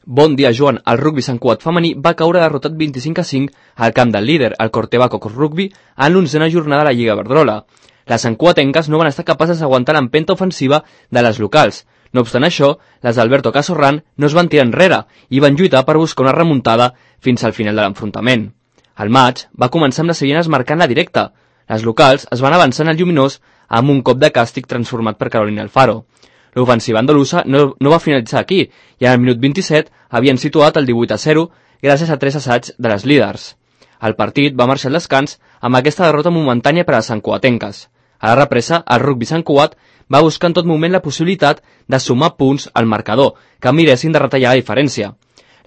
Bon dia, Joan. El rugbi Sant Cugat femení va caure derrotat 25-5 al camp del líder, el Corteva Cocos Rugby, en l'11a jornada de la Lliga Iberdrola. Les santcugatenques no van estar capaces d'aguantar l'empenta ofensiva de les locals. No obstant això, les d'Alberto Casorran no es van tirar enrere i van lluitar per buscar una remuntada fins al final de l'enfrontament. El maig va començar amb les seients marcant la directa. Les locals es van avançar en el lluminós amb un cop de càstig transformat per Carolina Alfaro. L'ofensiva andalusa no va finalitzar aquí i al minut 27 havien situat el 18-0 gràcies a 3 assaigs de les líders. El partit va marxar al descans amb aquesta derrota momentània per a les santcugatenques. A la represa, el rugbi Sant Cugat va buscar en tot moment la possibilitat de sumar punts al marcador que miressin de retallar la diferència.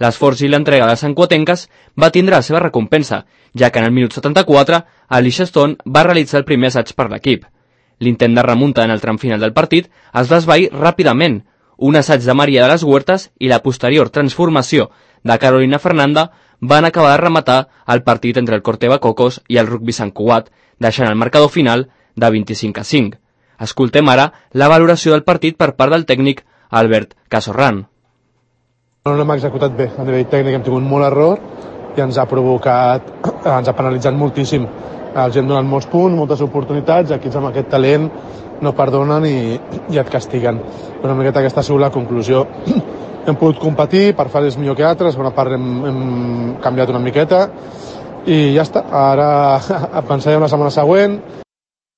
L'esforç i l'entrega de les santcugatenques va tindre la seva recompensa, ja que en el minut 74 Alicia Stone va realitzar el primer assaig per l'equip. L'intent de remunta en el tram final del partit es va esvair ràpidament. Un assaig de Maria de les Huertas i la posterior transformació de Carolina Fernanda van acabar de rematar el partit entre el Corteva Cocos i el rugbi Sant Cugat, deixant el marcador final de 25-5. Escoltem ara la valoració del partit per part del tècnic Albert Casorran. No l'hem executat bé, a nivell tècnic hem tingut molt error i ens ha penalitzat moltíssim. Els hem donat molts punts, moltes oportunitats, equips amb aquest talent no perdonen i et castiguen. Però una miqueta aquesta ha sigut la conclusió. Hem pogut competir, per fases millor que altres, bona part hem canviat una miqueta i ja està. Ara pensarem la setmana següent.